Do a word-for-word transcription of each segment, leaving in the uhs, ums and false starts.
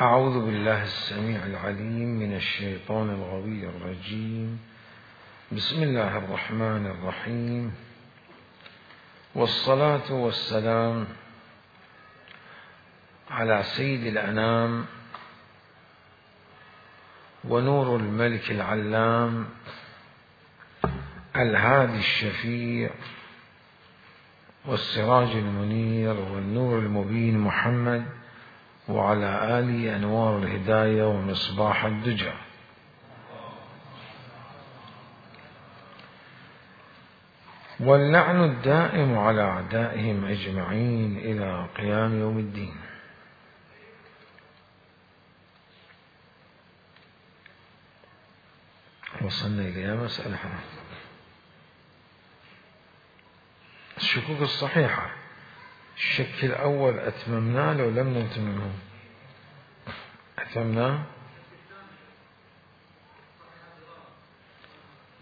أعوذ بالله السميع العليم من الشيطان الغوي الرجيم. بسم الله الرحمن الرحيم، والصلاة والسلام على سيد الأنام ونور الملك العلام الهادي الشفيع والسراج المنير والنور المبين محمد، وعلى آله أنوار الهداية ومصباح الدجى. واللعن الدائم على أعدائهم أجمعين إلى قيام يوم الدين. وصلنا إلى مسألة الشكوك الصحيحة. الشك الأول أتممناه لو لم نتممه؟ أتممناه؟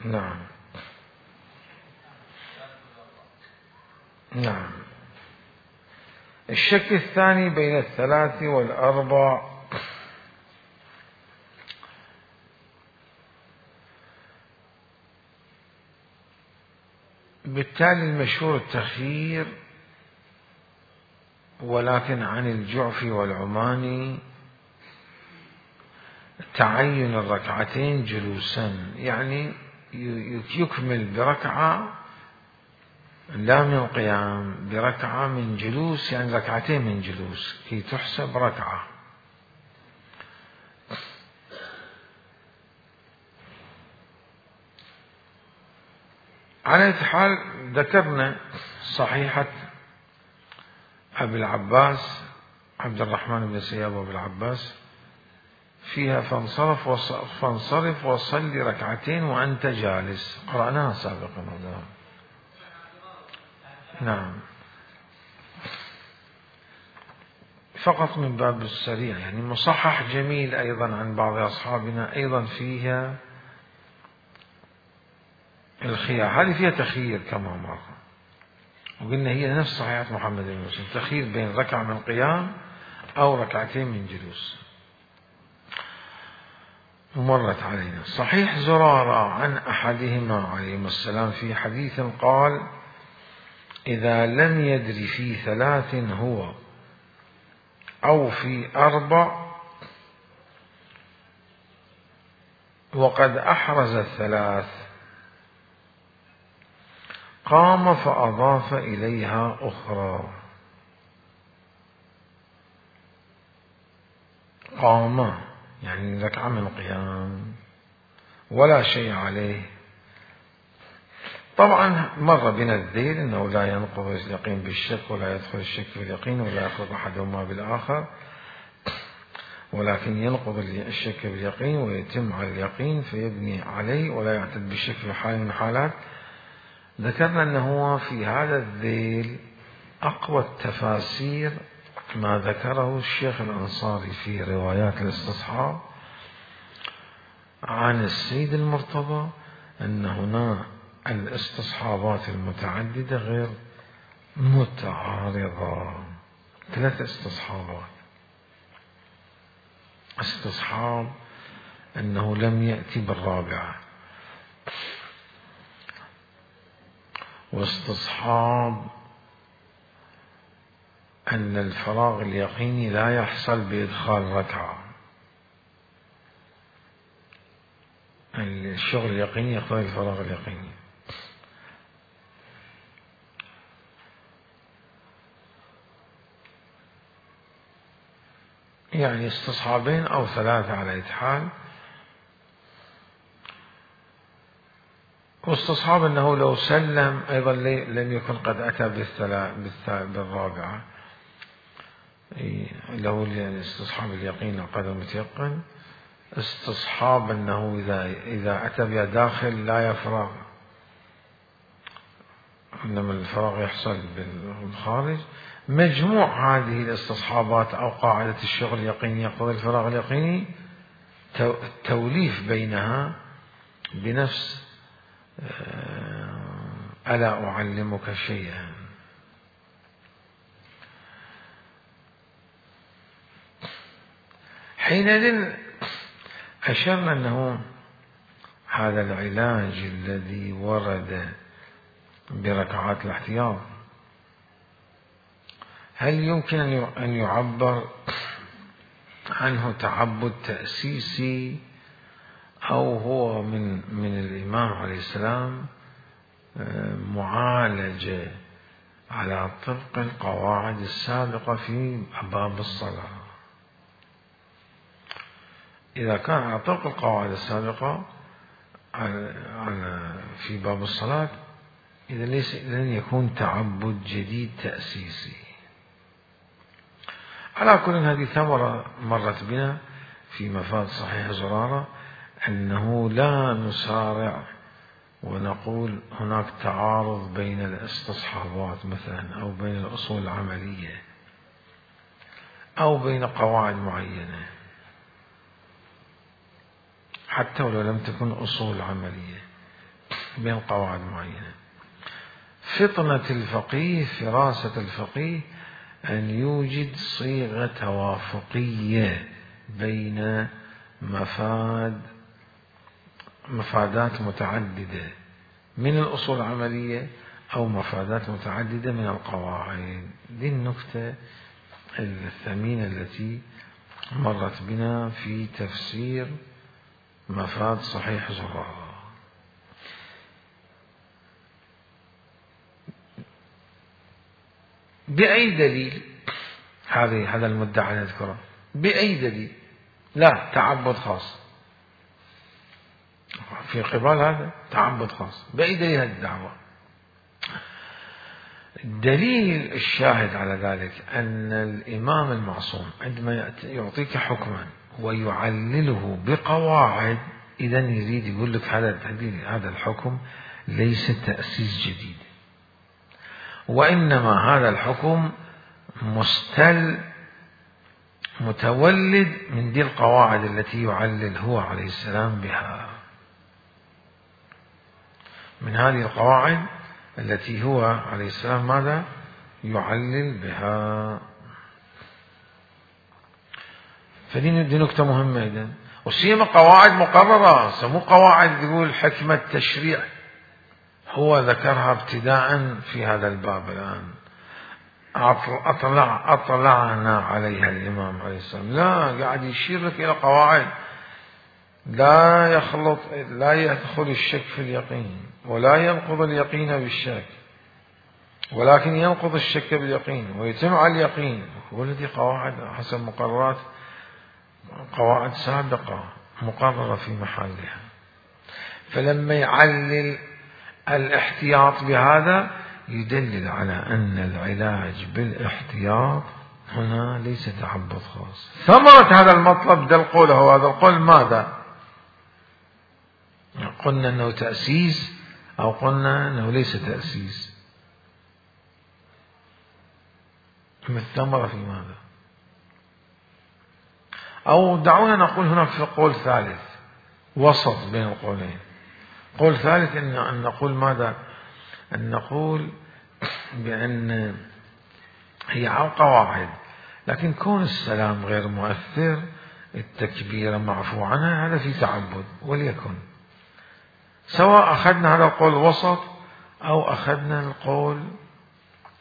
نعم نعم. الشك الثاني بين الثلاث والأربع، بالتالي المشهور التخيير، ولكن عن الجعفي والعماني تعين الركعتين جلوسا، يعني يكمل بركعة لا من قيام، بركعة من جلوس، يعني ركعتين من جلوس كي تحسب ركعة. على أي حال ذكرنا صحيحة أبي العباس عبد الرحمن بن سياب أبي العباس فيها فانصرف فانصرف وصلي ركعتين وأنت جالس، قرأناها سابقا. نعم، فقط من باب السريع، يعني مصحح جميل أيضا عن بعض أصحابنا أيضا فيها الخيار. هذه فيها تخيير كما مر، وقلنا هي نفس صحيحة محمد بن مسلم، تخيير بين ركعة من قيام أو ركعتين من جلوس. ومرت علينا صحيح زرارة عن أحدهما عليهما السلام في حديث قال: إذا لم يدر في ثلاث هو أو في أربع وقد أحرز الثلاث قام فأضاف إليها أخرى. قام يعني ركعة من قيام ولا شيء عليه. طبعا مر بنا الذيل أنه لا ينقض اليقين بالشك ولا يدخل الشك في اليقين ولا يخلط أحدهما بالآخر، ولكن ينقض الشك باليقين ويتم على اليقين فيبني عليه ولا يعتد بالشك في حال من الحالات. ذكرنا أنه في هذا الذيل أقوى التفاسير ما ذكره الشيخ الأنصاري في روايات الاستصحاب عن السيد المرتضى، أن هنا الاستصحابات المتعددة غير متعارضة. ثلاث استصحابات: استصحاب أنه لم يأتي بالرابعة، واستصحاب أن الفراغ اليقيني لا يحصل بإدخال ركعة، الشغل اليقيني يقتضي الفراغ اليقيني. يعني استصحابين أو ثلاثة على أي حال. واستصحاب أنه لو سلم أيضا لم يكن قد أتى بالرابعة، له الاستصحاب اليقين قدر متيقن. استصحاب أنه إذا إذا أتى بها داخل لا يفرغ، إنما الفراغ يحصل بالخارج. مجموع هذه الاستصحابات أو قاعدة الشغل اليقيني يقتضي الفراغ اليقيني، التوليف بينها بنفس ألا أعلمك شيئا. حينئذ أشرنا أنه هذا العلاج الذي ورد بركعات الاحتياط هل يمكن أن يعبر عنه تعبد تأسيسي أو هو من من الإمام عليه السلام معالجة على طبق القواعد السابقة في باب الصلاة؟ إذا كان على طبق القواعد السابقة في باب الصلاة إذا ليس لن يكون تعبد جديد تأسيسي. على كل هذه ثمرة مرت بنا في مفاد صحيح زرارة أنه لا نسارع ونقول هناك تعارض بين الاستصحابات مثلا أو بين الأصول العملية أو بين قواعد معينة حتى ولو لم تكن أصول عملية بين قواعد معينة. فطنة الفقيه فراسة الفقيه أن يوجد صيغة توافقية بين مفاد مفادات متعددة من الأصول العملية أو مفادات متعددة من القواعد. دي النكتة الثمينة التي مرت بنا في تفسير مفاد صحيح زرارة. بأي دليل هذه هذا المدعى نذكره؟ بأي دليل؟ لا تعبد خاص في قبال هذا تعبد خاص. بأي دليل هذه الدعوة؟ الدليل الشاهد على ذلك أن الإمام المعصوم عندما يعطيك حكما ويعلله بقواعد إذا يريد يقول لك هذا هذا الحكم ليس تأسيس جديد، وإنما هذا الحكم مستل متولد من دي القواعد التي يعلل هو عليه السلام بها، من هذه القواعد التي هو عليه السلام ماذا يعلل بها. فدي دي نكتة مهمة إذن، وسيما قواعد مقررة، مو قواعد يقول حكمة تشريع هو ذكرها ابتداء في هذا الباب الآن أطلع أطلعنا عليها الإمام عليه السلام، لا قاعد يشير لك إلى قواعد لا يخلط لا يدخل الشك في اليقين ولا ينقض اليقين بالشك، ولكن ينقض الشك باليقين ويتم على اليقين. والتي قواعد حسب مقررات قواعد سابقة مقررة في محلها. فلما يعلل الاحتياط بهذا يدلل على أن العلاج بالاحتياط هنا ليس تعبد خاص. ثمرة هذا المطلب ده القول هو هذا القول ماذا؟ قلنا أنه تأسيس أو قلنا أنه ليس تأسيس؟ ما الثمرة في ماذا؟ أو دعونا نقول هناك في قول ثالث وسط بين القولين. قول ثالث إن, أن نقول ماذا؟ أن نقول بأن هي على قواعد لكن كون السلام غير مؤثر التكبير معفو عنها هذا في تعبد، وليكن سواء أخذنا هذا القول وسط أو أخذنا القول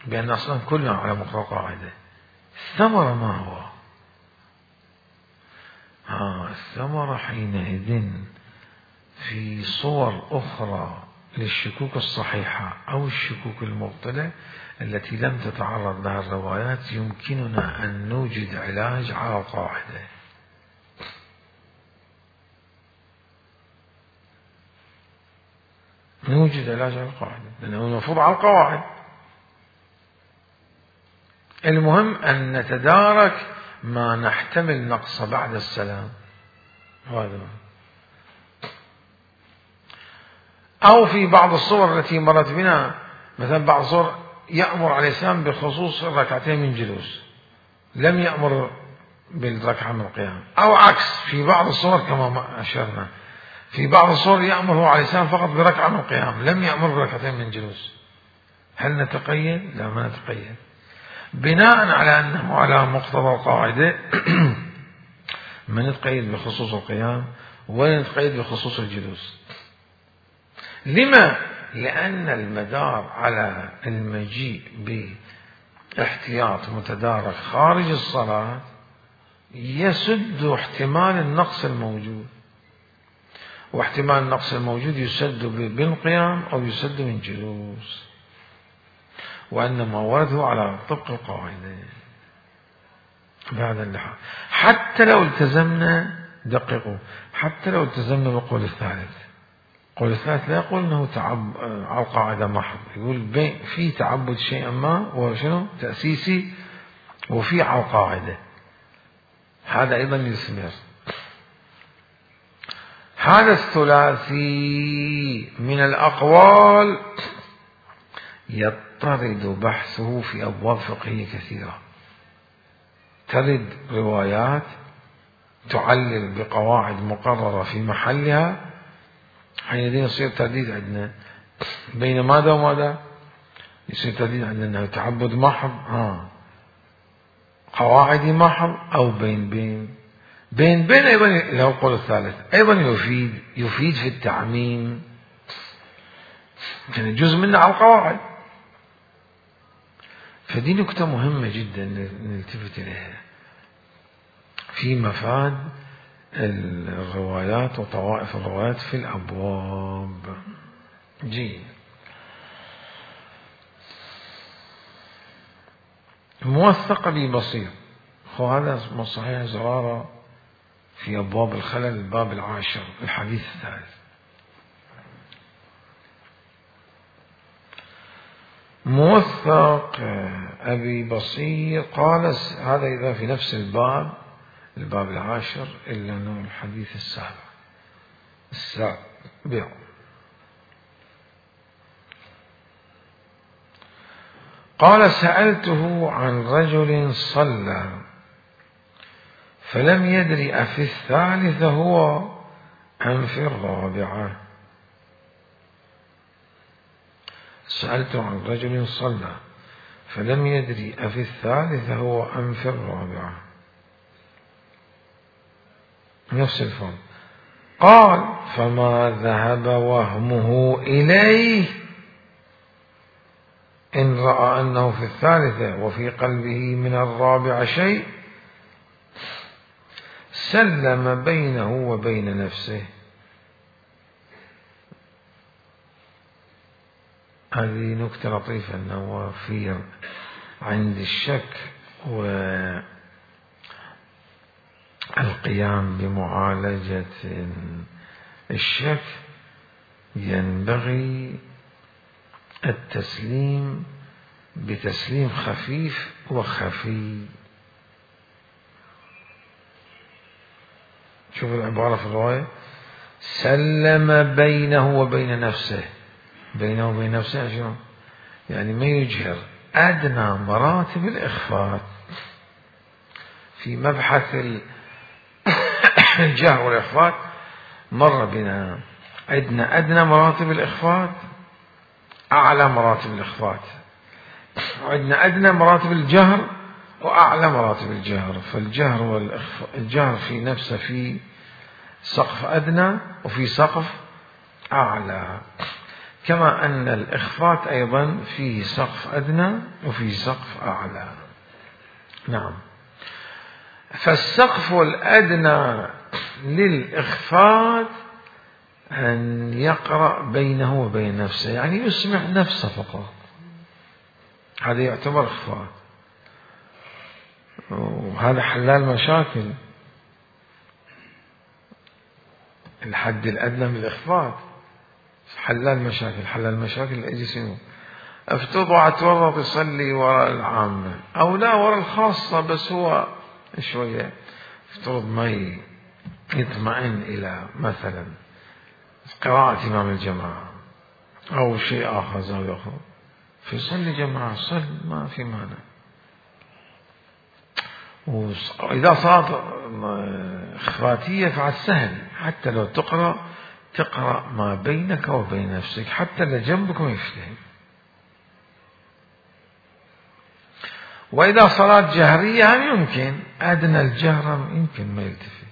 بأن أصلا كلنا على مقتضى قاعدة. الثمرة ما هو؟ ها الثمرة حينئذ في صور أخرى للشكوك الصحيحة أو الشكوك المبطلة التي لم تتعرض لها الروايات يمكننا أن نوجد علاج على القاعدة. نوجد علاج على القاعدة لأنه المفروض على القواعد. المهم أن نتدارك ما نحتمل نقص بعد السلام هذا. أو في بعض الصور التي مرت بنا مثلا بعض الصور يأمر عليه السلام بخصوص الركعتين من جلوس لم يأمر بالركعة من القيام، أو عكس في بعض الصور كما أشرنا في بعض الصور يأمر هو عليه السلام فقط بركعة من القيام لم يأمر بركعتين من جلوس. هل نتقيد؟ لا ما نتقيد. بناء على أنه على مقتضى القاعدة ما نتقيد بخصوص القيام ولا نتقيد بخصوص الجلوس. لما؟ لأن المدار على المجيء باحتياط متدارك خارج الصلاة يسد احتمال النقص الموجود، واحتمال النقص الموجود يسد بالقيام أو يسد من جلوس، وأنما ورده على طبق القاعدة بهذا اللحاظ. حتى لو التزمنا، دققوا، حتى لو التزمنا بالقول الثالث، القول الثالث لا يقول أنه تعب على القاعدة محض، يقول في تعبد شيئا ما وشنو تأسيسي وفي على القاعدة، هذا أيضا يثمر. هذا الثلاثي من الأقوال يضطرد بحثه في أبواب فقهية كثيرة، ترد روايات تعلل بقواعد مقررة في محلها، حينئذ يصير ترديد عندنا بين ماذا وماذا؟ يصير ترديد عندنا أنه تعبد محض ها قواعدي محض، أو بين بين بين بين أيضا له القول الثالث أيضا يفيد يفيد في التعميم، يعني جزء منه على القواعد. فدي نكتة مهمة جدا نلتفت إليها في مفاد الروايات وطوائف الروايات في الأبواب. جيد. موثق بي بصير، وهذا صحيح زرارة في أبواب الخلل الباب العاشر الحديث الثالث. موثق أبي بصير قال، هذا إذا في نفس الباب الباب العاشر إلا أنه الحديث السابع السابع. قال سألته عن رجل صلى فلم يدري أفي الثالثة هو أم في الرابعة. سألته عن رجل صلى فلم يدري أفي الثالثة هو أم في الرابعة، نفس الفرق. قال فما ذهب وهمه إليه إن رأى أنه في الثالثة وفي قلبه من الرابعة شيء سلم بينه وبين نفسه. هذه نكتة لطيفة، أنه في عند الشك والقيام بمعالجة الشك ينبغي التسليم بتسليم خفيف وخفي. شوف العبارة في الرواية، سلم بينه وبين نفسه. بينه وبين نفسه شنو؟ يعني ما يجهر، أدنى مراتب الإخفاء في مبحث الجهر والإخفاء مر بنا. عندنا أدنى مراتب الإخفاء، أعلى مراتب الإخفاء، عندنا أدنى مراتب الجهر وأعلى مراتب الجهر. فالجهر والإخفاء، الجهر في نفسه في سقف أدنى وفي سقف أعلى، كما أن الإخفاء أيضا فيه سقف أدنى وفيه سقف أعلى. نعم. فالسقف الأدنى للإخفاء أن يقرأ بينه وبين نفسه، يعني يسمع نفسه فقط، هذا يعتبر إخفاء، وهذا حلال مشاكل. الحد الأدنى من الإخفاء حلال مشاكل. حلال مشاكل أجي سنو افترض اتورط يصلي وراء العامة أو لا وراء الخاصة، بس هو شوية افترض ما يطمئن إلى مثلا قراءة إمام الجماعة أو شيء آخر زاوية أخرى، فيصلي جماعة صل ما في مانع. وإذا صارت إخفاتية فعل سهل، حتى لو تقرأ تقرأ ما بينك وبين نفسك، حتى اللي جنبك ما يفتهم. وإذا صلاة جهرية هم يمكن أدنى الجهر يمكن ما يلتفت،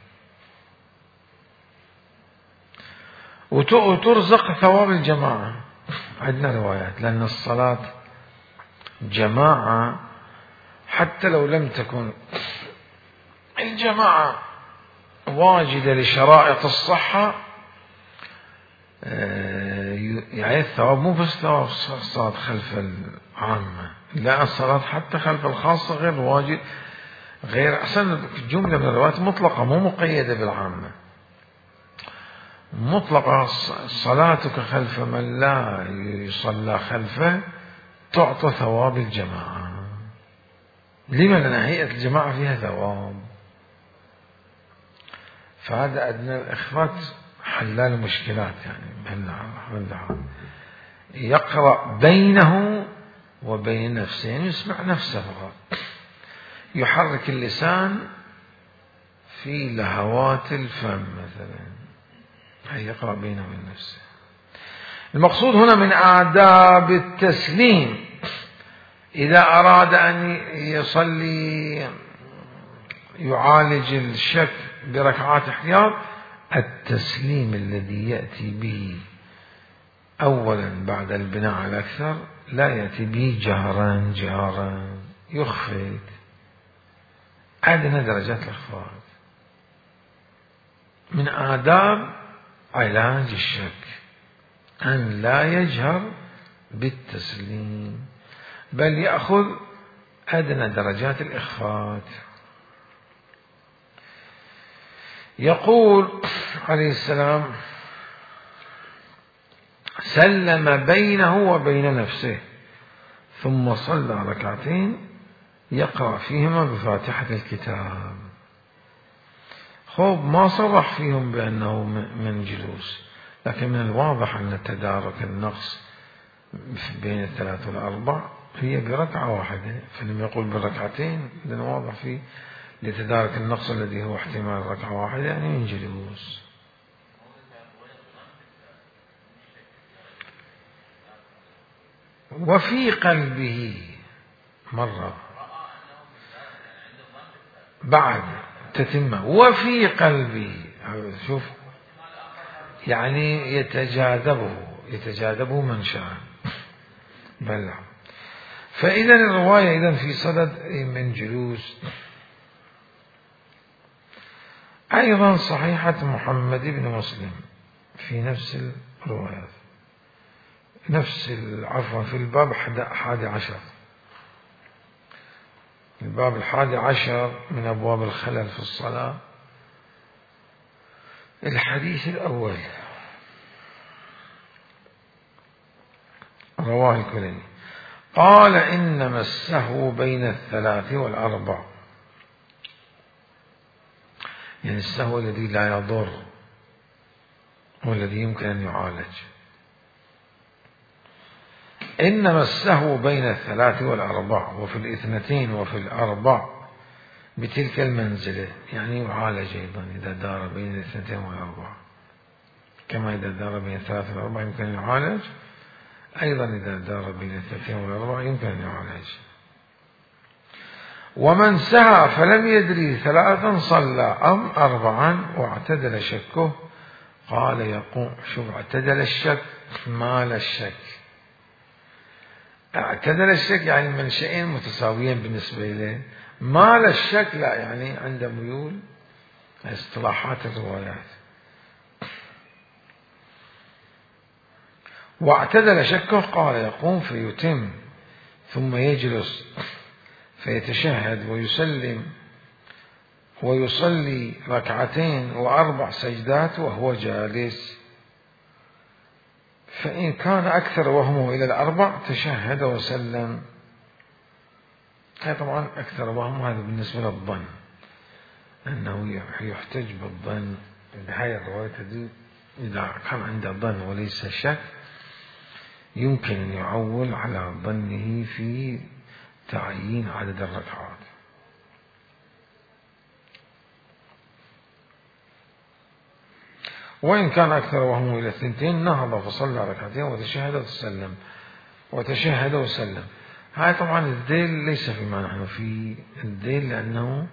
وترزق ثواب الجماعة. عندنا روايات، لأن الصلاة جماعة حتى لو لم تكن الجماعة واجدة لشرائط الصحة، يعني الثواب مو بس ثواب الصلاة خلف العامة، لا، الصلاة حتى خلف الخاصة غير واجد، غير أحسن جملة من الروايات مطلقة مو مقيدة بالعامة، مطلقة. صلاتك خلف من لا يصلى خلفه تعطى ثواب الجماعة. لما؟ لأن هيئة الجماعة فيها ثواب. فهذا أدنى الإخفاء حلال مشكلات، يعني يقرأ بينه وبين نفسه، يعني يسمع نفسه فقط، يحرك اللسان في لهوات الفم مثلا، هي يقرأ بينه وبين نفسه. المقصود هنا من آداب التسليم إذا أراد أن يصلي يعالج الشك بركعات احتياط، التسليم الذي يأتي به أولا بعد البناء على الأكثر، لا يأتي به جهرا جهرا، يخفت أدنى درجات الإخفاء. من آداب علاج الشك أن لا يجهر بالتسليم، بل يأخذ أدنى درجات الإخفاء. يقول عليه السلام: سلم بينه وبين نفسه ثم صلى ركعتين يقرأ فيهما بفاتحة الكتاب. خوب ما صرح فيهم بأنه من جلوس، لكن من الواضح أن تدارك النقص بين الثلاث والأربع هي بركعة واحدة، فلم يقول بالركعتين، لأنه واضح فيه لتدارك النقص الذي هو احتمال ركعة واحدة، يعني من جلوس. وفي قلبه مرة بعد تتمة، وفي قلبه، شوف يعني يتجاذبه يتجاذبه من شاء بل. فإذا الرواية إذن في صدد من جلوس. أيضا صحيحة محمد بن مسلم في نفس الروايات، نفس عفوا في الباب الحادي عشر، الباب الحادي عشر من أبواب الخلل في الصلاة، الحديث الأول رواه الكليني قال: إنما السهو بين الثلاث والأربع، يعني السهو الذي لا يضر والذي يمكن أن يعالج. إنما السهو بين الثلاث والأربع، وفي الاثنتين وفي الأربع بتلك المنزلة، يعني يعالج أيضا إذا دار بين الاثنتين والأربع، كما إذا دار بين الثلاث والأربع يمكن أن يعالج، أيضا إذا دار بين الاثنتين والأربع يمكن أن يعالج. ومن سهى فلم يدري ثلاثا صلى أم أربعا واعتدل شكه، قال يقوم. شوف، اعتدل الشك مال الشك، اعتدل الشك يعني منشئين متساويين بالنسبة إليه، مال الشك لا، يعني عنده ميول، اصطلاحات الروايات. واعتدل شكه قال يقوم فيتم ثم يجلس فيتشهد ويسلم ويصلي ركعتين وأربع سجدات وهو جالس، فإن كان أكثر وهمه إلى الأربع تشهد وسلم. هذا طبعا أكثر وهم، هذا بالنسبة للظن، أنه يحتج بالظن بهاي الرواية دي. إذا كان عنده ظن وليس شك يمكن أن يعول على ظنه في تعيين عدد الركعات. وإن كان أكثر وهمه إلى الثنتين نهض فصلى ركعتين وتشهد وسلم وتشهد وسلم. هاي طبعا الذيل ليس فيما نحن في الذيل، لأنه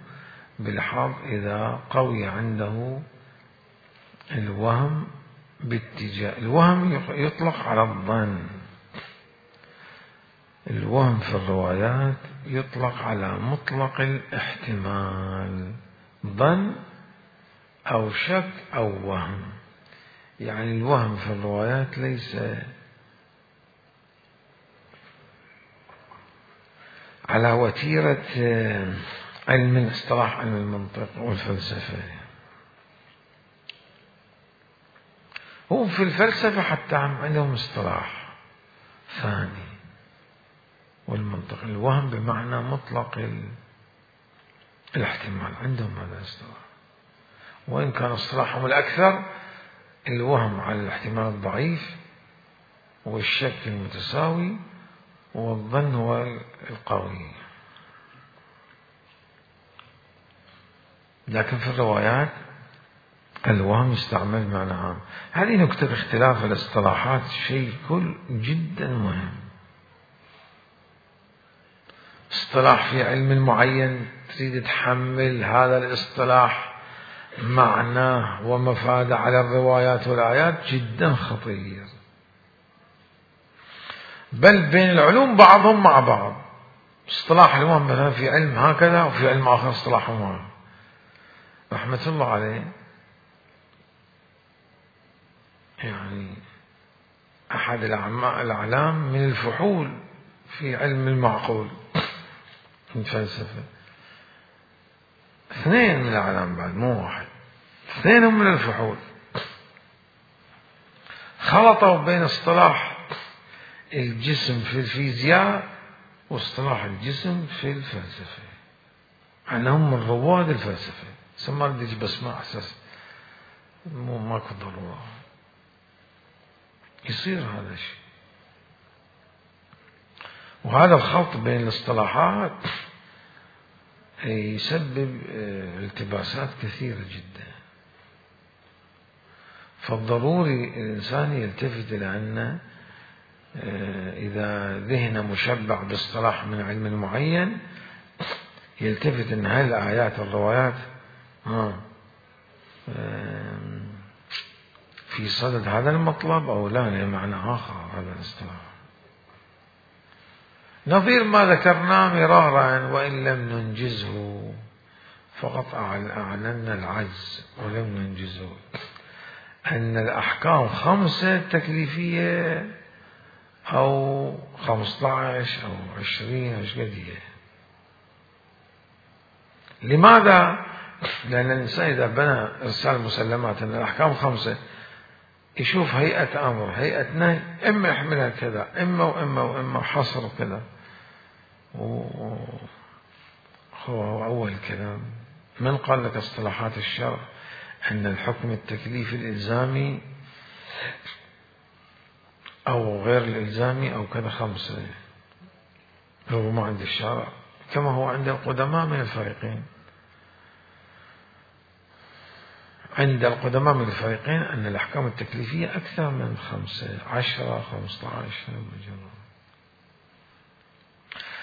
بالحظ إذا قوي عنده الوهم باتجاه. الوهم يطلق على الظن، الوهم في الروايات يطلق على مطلق الاحتمال، ظن أو شك أو وهم. يعني الوهم في الروايات ليس على وتيرة علم اصطلاح علم المنطق والفلسفة. هو في الفلسفة حتى عندهم اصطلاح ثاني، والمنطق الوهم بمعنى مطلق الاحتمال، عندهم هذا الاصطلاح، وإن كان اصطلاحهم الأكثر الوهم على الاحتمال الضعيف والشك المتساوي والظن هو القوي. لكن في الروايات الوهم يستعمل معنى عام. هذه نكتة اختلاف الاصطلاحات، شيء كل جدا مهم. اصطلاح في علم معين تريد تحمل هذا الاصطلاح معناه ومفاده على الروايات والآيات، جدا خطير. بل بين العلوم بعضهم مع بعض، اصطلاح الوهم مثلا في علم هكذا وفي علم آخر اصطلاح ما. رحمة الله عليه يعني أحد الأعلام من الفحول في علم المعقول من الفلسفة، اثنين من الأعلام بعد مو واحد، اثنين هم من الفحول، خلطوا بين اصطلاح الجسم في الفيزياء واصطلاح الجسم في الفلسفة، أنهم من رواد الفلسفة. سمار ديش بس ما أحسس مو ماكو ضرورة يصير هذا الشيء. وهذا الخلط بين الاصطلاحات يسبب التباسات كثيرة جدا. فالضروري الإنسان يلتفت إلى أن إذا ذهن مشبع باصطلاح من علم معين يلتفت أن هل الآيات والروايات في صدد هذا المطلب أو لا، لمعنى آخر هذا الاصطلاح. نظير ما ذكرناه مرارا وإن لم ننجزه، فقط أعلنا العجز ولم ننجزه، أن الأحكام خمسة تكليفية أو خمسة عشر أو عشرين مش قدية. لماذا؟ لأن الإنسان إذا بنى إرسال مسلمات أن الأحكام خمسة يشوف هيئة أمر هيئة نهي، إما يحملها كذا إما وإما وإما حصر كذا. هو أول كلام من قال لك اصطلاحات الشرع أن الحكم التكليفي الإلزامي أو غير الإلزامي أو كذا خمسة، هو ما عند الشرع كما هو عند القدماء من الفريقين. عند القدماء من الفريقين أن الأحكام التكليفية أكثر من خمسة عشرة خمسة عشر مجرد.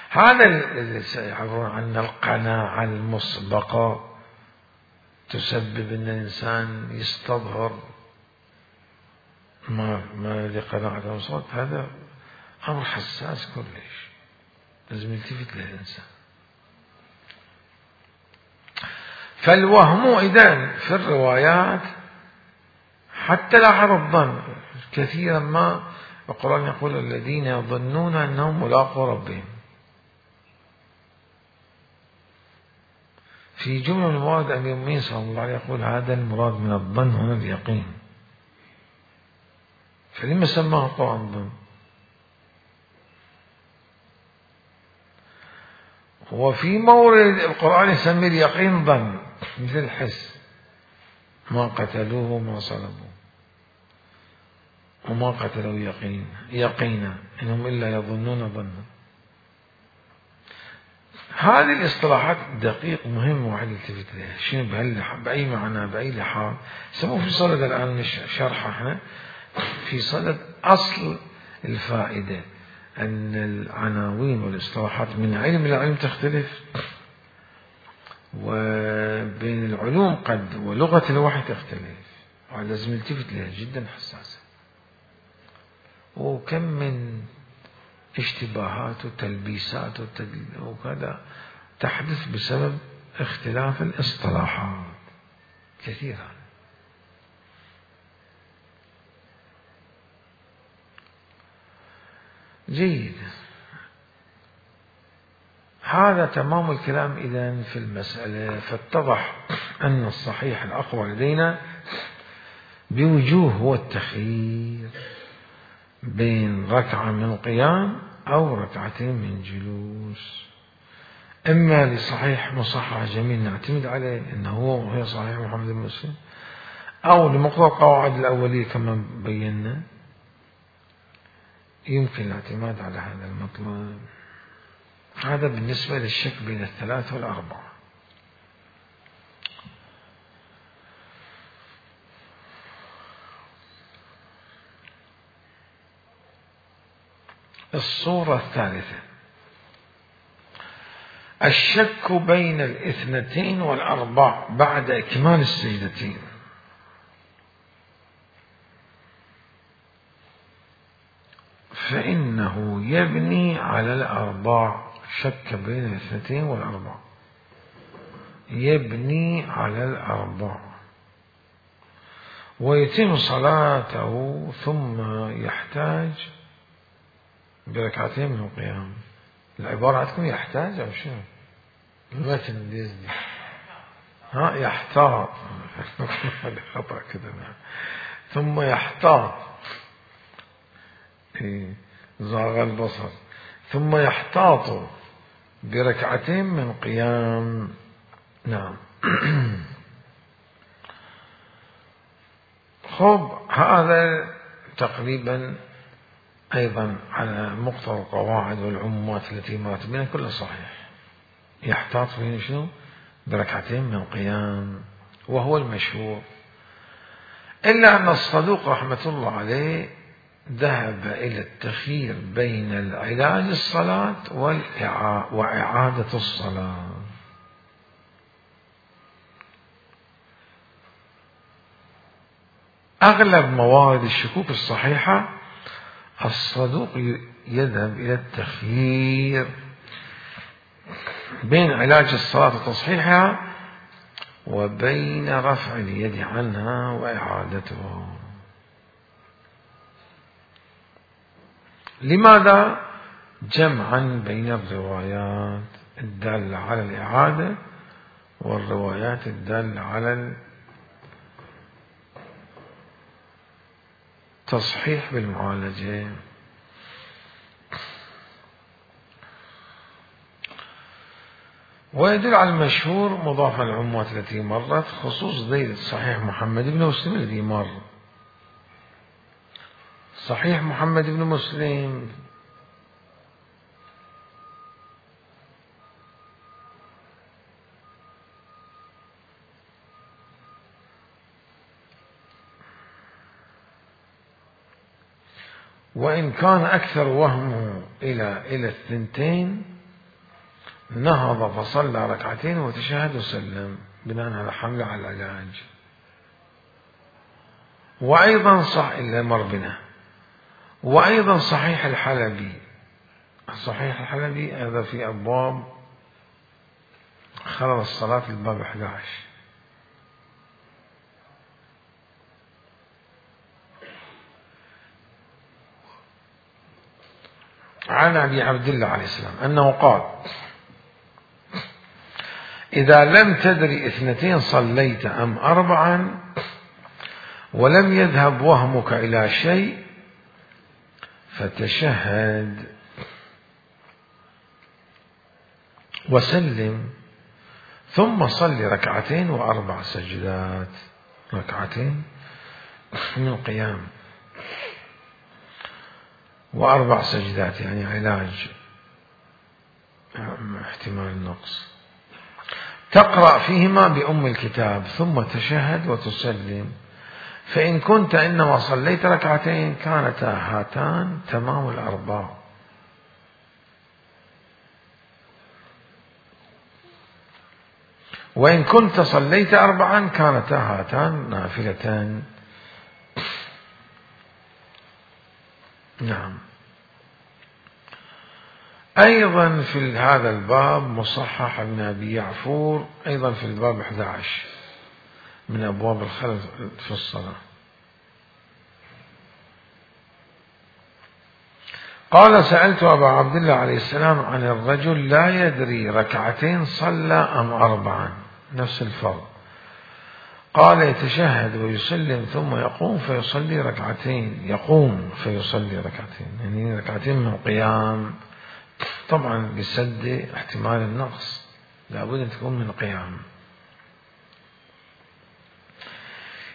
هذا الذي سيعبرون عن القناعة المسبقة تسبب أن الإنسان يستظهر ما ما لقناعة المسبقة. هذا أمر حساس كلش، لازم يلتفت للإنسان. فالوهم إذن في الروايات حتى لاحظ الظن كثيرا ما القرآن يقول الذين يظنون أنهم ملاقو ربهم. في جملة من المواد أمير المؤمنين صلى الله عليه يقول هذا المراد من الظن هنا اليقين. فلما سماه القرآن ظن؟ وفي مورد القرآن يسمي اليقين ظن، مثل الحس، ما قتلوه وما صلبوه وما قتلوا يقين يقينا إنهم إلا يظنون ظنا. هذه الاصطلاحات دقيق مهم واحد يلتفت لها، شنو بأي معنى بأي لحاظ. سموه في صدد الآن شرح احنا في صدد أصل الفائدة، أن العناوين والاصطلاحات من علم إلى علم تختلف، وبين العلوم قد ولغة الوحي تختلف. لازم نلتفت لها، جدا حساسة، وكم من اشتباهات وتلبيسات وكذا تحدث بسبب اختلاف الاصطلاحات كثيرا. جيد، هذا تمام الكلام إذن في المسألة. فاتضح أن الصحيح الأقوى لدينا بوجوه هو التخيير بين ركعة من قيام أو ركعتين من جلوس، إما لصحيح مصحح جميل نعتمد عليه أنه هو هي صحيح محمد بن مسلم، أو لمقتضى القواعد الأولية كما بينا يمكن الاعتماد على هذا المطلب. هذا بالنسبة للشك بين الثلاثة والأربعة. الصورة الثالثة الشك بين الاثنتين والأربع بعد إكمال السجدتين. فإنه يبني على الأربع، شك بين الاثنتين والأربع يبني على الأربع ويتم صلاته ثم يحتاج بركعتين من القيام. العبارة عندكم يحتاج أو شنو؟ المتن الإنجليزي ها يحتاط هذا خطأ كذا. ثم يحتاط زاغ البصر، ثم يحتاط بركعتين من قيام. نعم. خب هذا تقريبا أيضا على مقتضى القواعد والعمومات التي مرت بنا كلها صحيح. يحتاط فيه شنو؟ بركعتين من قيام، وهو المشهور، إلا أن الصدوق رحمة الله عليه ذهب إلى التخيير بين العلاج الصلاة وإعادة الصلاة. أغلب موارد الشكوك الصحيحة الصدوق يذهب إلى التخيير بين علاج الصلاة وتصحيحها وبين رفع اليد عنها وإعادتها. لماذا؟ جمعا بين الروايات الدالة على الإعادة والروايات الدالة على التصحيح بالمعالجة. ويدل على المشهور مضافا للعمومات التي مرت خصوص دليل صحيح محمد بن مسلم الذي مر. صحيح محمد بن مسلم وإن كان أكثر وهمه إلى إلى الثنتين نهض فصلى ركعتين وتشهد وسلم بناء على حمله على العلاج. وأيضا صح إلا مر بنا. وأيضا صحيح الحلبي، صحيح الحلبي هذا في أبواب خلل الصلاة في الباب أحد عشر. عن أبي عبد الله عليه السلام أنه قال: إذا لم تدري اثنتين صليت أم أربعا ولم يذهب وهمك إلى شيء فتشهد وسلم ثم صل ركعتين وأربع سجدات، ركعتين من قيام وأربع سجدات يعني علاج احتمال النقص، تقرأ فيهما بأم الكتاب ثم تشهد وتسلم. فإن كنت إنما صليت ركعتين كانتا هاتان تمام الأربع. وإن كنت صليت أربعا كانتا هاتان نافلتان نعم. أيضا في هذا الباب مصحح ابن أبي يعفور أيضا في الباب أحد عشر من أبواب الخلل في الصلاة. قال: سألت أبا عبد الله عليه السلام عن الرجل لا يدري ركعتين صلى أم أربعا، نفس الفرض. قال: يتشهد ويسلم ثم يقوم فيصلي ركعتين، يقوم فيصلي ركعتين، يعني ركعتين من القيام، طبعا بسد احتمال النقص، لابد أن تكون من القيام.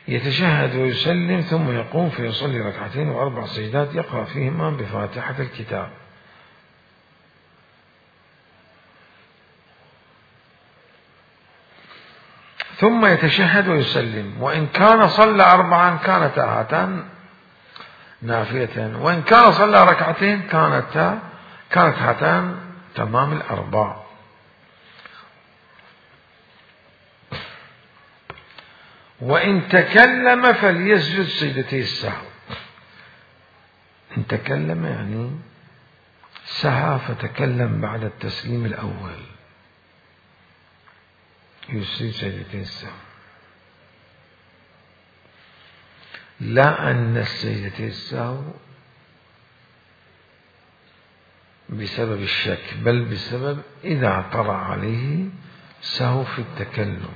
يتشهد ويسلم ثم يقوم فيصلي ركعتين وأربع سجدات يقرأ فيهما بفاتحة الكتاب. ثم يتشهد ويسلم، وإن كان صلى أربعا كانتا هاتان نافلة، وإن كان صلى ركعتين كانتا كانت هاتان تمام الأربع. وإن تكلم فليسجد سجدتي السهو. إن تكلم يعني سهى فتكلم بعد التسليم الأول، يسجد سجدتي السهو. لا أن السجدتي السهو بسبب الشك، بل بسبب إذا طرأ عليه سهو في التكلم.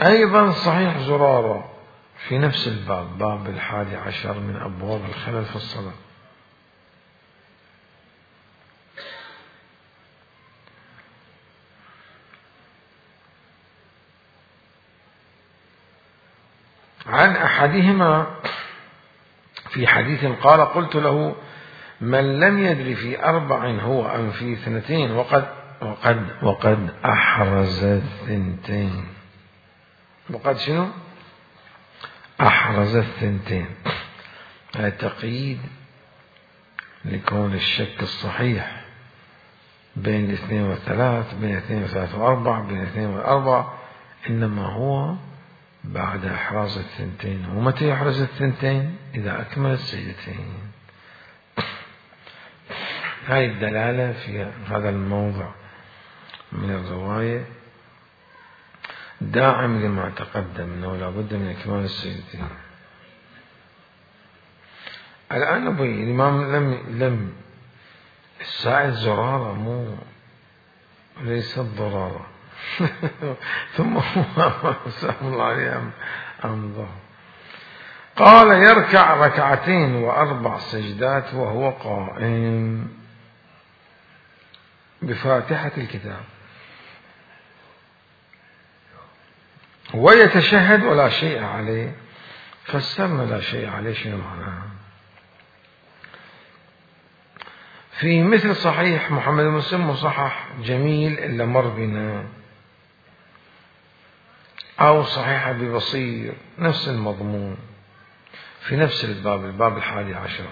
أيضا صحيح زرارة في نفس الباب، باب الحادي عشر من أبواب الخلل في الصلاة. عن أحدهما في حديث قال: قلت له: من لم يدري في أربع هو أم في اثنتين وقد وقد وقد أحرز الثنتين. وقد شنو؟ أحرز الثنتين. هذا تقييد لكون الشك الصحيح بين الاثنين والثلاث، بين الاثنين والثلاث وأربع، بين الاثنين والأربع، إنما هو بعد إحراز الثنتين. ومتى يحرز الثنتين؟ إذا أكمل السجدتين. هاي الدلالة في هذا الموضع من الرواية داعم لما تقدم أنه لا بد من إكمال السجدتين. الآن أبي الإمام لم لم السائل زرارة، مو ليست ضرارة. ثم هو سلام الله عليه أمضى. قال: يركع ركعتين وأربع سجدات وهو قائم بفاتحة الكتاب، ويتشهد ولا شيء عليه. فسرنا لا شيء عليه شنو معناها؟ في مثل صحيح محمد بن مسلم مصحح جميل إلا مر بنا، أو صحيح أبي بصير نفس المضمون في نفس الباب، الباب الحادي عشر.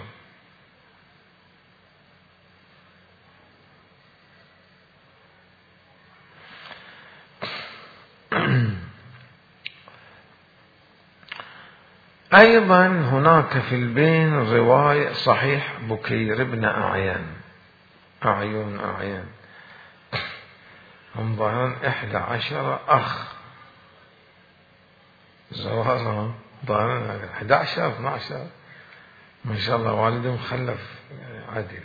أيضا هناك في البين رواية صحيح بكير بن أعيان، أعين أعيان هم ظاهرا إحدى عشر أخ زوارهم، ظاهرا إحدى عشر اثنا عشر، ما شاء الله والدهم خلف عدل،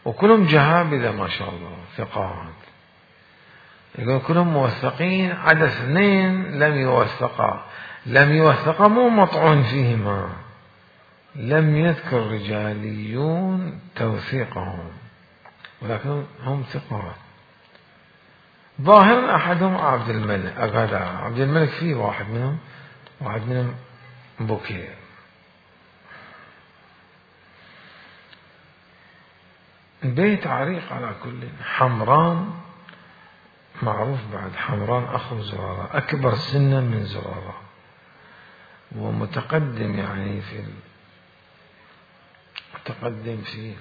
وكلهم جهابذة ما شاء الله ثقات. يقول كلهم موثقين، عدا اثنين لم يوثقا. لم يوثقا مو مطعون فيهما، لم يذكر رجاليون توثيقهم، ولكن هم ثقات. ظاهرا أحدهم عبد الملك، أغادى عبد الملك فيه واحد منهم، واحد منهم بكير. بيت عريق على كل. حمران معروف بعد، حمران أخو زرارة، أكبر سنا من زرارة، ومتقدم يعني في متقدم في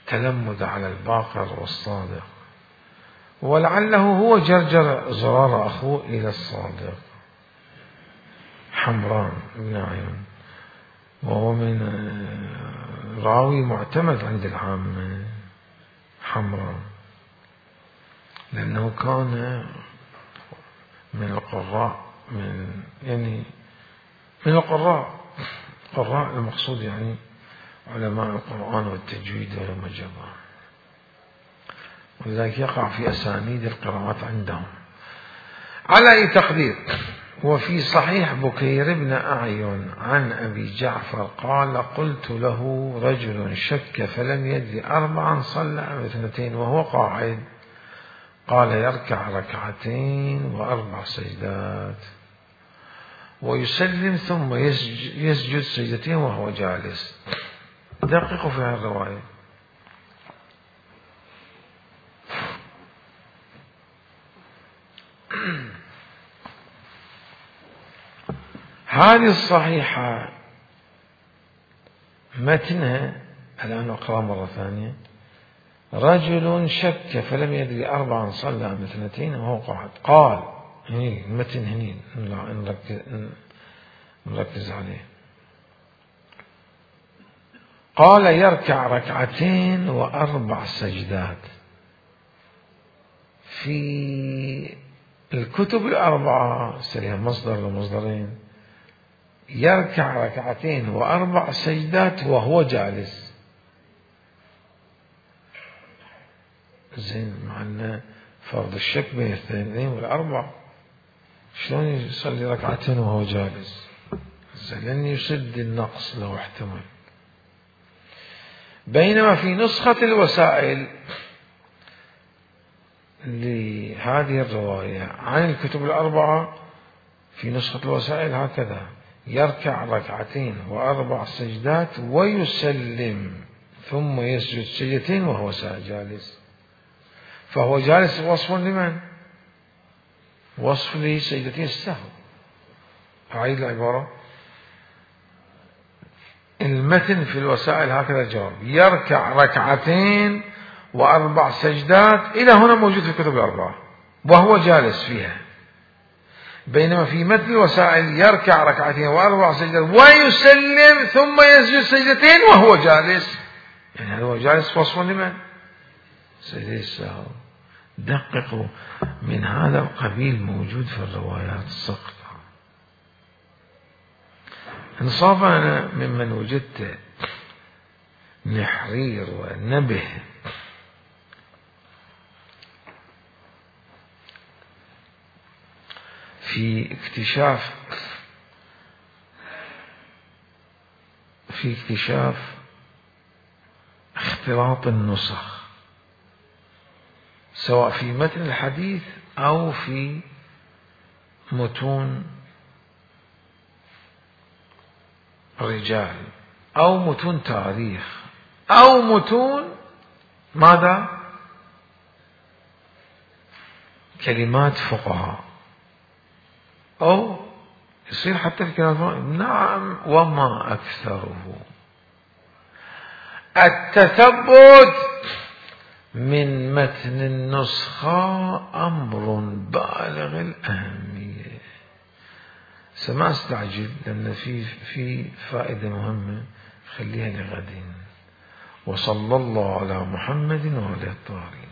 تلمذ على الباقر والصادق، ولعله هو جرجر زرارة أخوه إلى الصادق. حمران بن عيون وهو من راوي معتمد عند العامة، حمراء، لأنه كان من القراء، من يعني من القراء قراء المقصود يعني علماء القرآن والتجويد وما جرى، ولذلك يقع في أسانيد القراءات عندهم. على أي تقدير، وفي صحيح بكير بن أعين عن أبي جعفر قال: قلت له رجل شك فلم يدري أربعا صلى أم اثنتين وهو قاعد، قال: يركع ركعتين وأربع سجدات ويسلم ثم يسجد سجدتين وهو جالس. دققوا في هذه الرواية. هذه الصحيحة متنها الآن أقرأ مرة ثانية: رجل شك فلم يدري أربعا صلى أم اثنتين وهو قاعد، قال، هني المتن هني نركز عليه، قال: يركع ركعتين وأربع سجدات. في الكتب الأربعة سريها مصدر ومصدرين، يركع ركعتين وأربع سجدات وهو جالس. زين، مع أن فرض الشك بين الاثنين والأربع، شلون يصلي ركعتين وهو جالس؟ زين، لن يسد النقص لو احتمل. بينما في نسخة الوسائل لهذه الرواية عن الكتب الأربعة، في نسخة الوسائل هكذا: يركع ركعتين وأربع سجدات ويسلم ثم يسجد سجدتين وهو جالس. فهو جالس وصف لمن؟ وصف لسجدتين السهو. أعيد العبارة: المتن في الوسائل هكذا جواب: يركع ركعتين وأربع سجدات، إلى هنا موجود في الكتب الأربعة وهو جالس فيها. بينما في متن الوسائل: يركع ركعتين وأربع سجدات ويسلم ثم يسجد سجدتين وهو جالس. يعني هذا هو جالس وصف لمن؟ سجدي السهو. دققوا، من هذا القبيل موجود في الروايات السقطة. انصاف أنا ممن وجدت نحرير ونبه في اكتشاف في اكتشاف اختلاط النسخ، سواء في متن الحديث أو في متون رجال أو متون تاريخ أو متون ماذا؟ كلمات فقهاء، أو يصير حتى في كلمات. نعم، وما أكثره. التثبت من متن النسخة أمر بالغ الأهمية. سما استعجل، لأن في في فائدة مهمة، خليها لغد. وصلى الله على محمد وعلى الطاهرين.